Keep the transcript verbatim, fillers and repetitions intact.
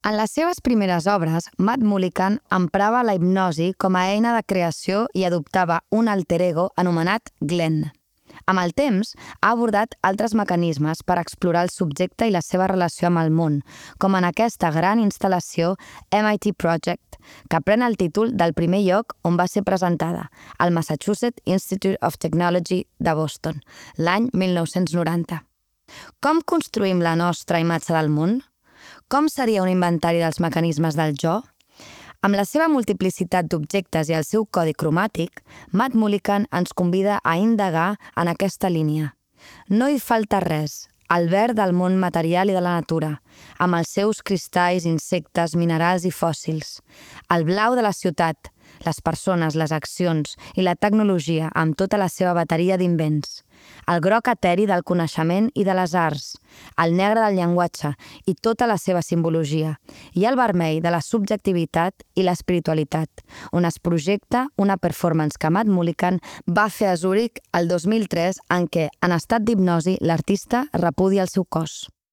En les seves primeres obres, Matt Mullican emprava la hipnosi com a eina de creació i adoptava un alter ego anomenat Glenn. Amb el temps, ha abordat altres mecanismes per explorar el subjecte i la seva relació amb el món, com en aquesta gran instal·lació M I T Project, que pren el títol del primer lloc on va ser presentada, al Massachusetts Institute of Technology de Boston, l'any mil nou-cents noranta. Com construïm la nostra imatge del món? Com seria un inventari dels mecanismes del jo? Amb la seva multiplicitat d'objectes i el seu codi cromàtic, Matt Mullican ens convida a indagar en aquesta línia. No hi falta res, el verd del món material i de la natura, amb els seus cristalls, insectes, minerals i fòssils. El blau de la ciutat, les persones, les accions i la tecnologia amb tota la seva bateria d'invents. El groc eteri del coneixement i de les arts, el negre del llenguatge i tota la seva simbologia, i el vermell de la subjectivitat i l'espiritualitat, on es projecta una performance que Matt Mullican va fer a Zurich el dos mil tres en què, en estat d'hipnosi, l'artista repudia el seu cos.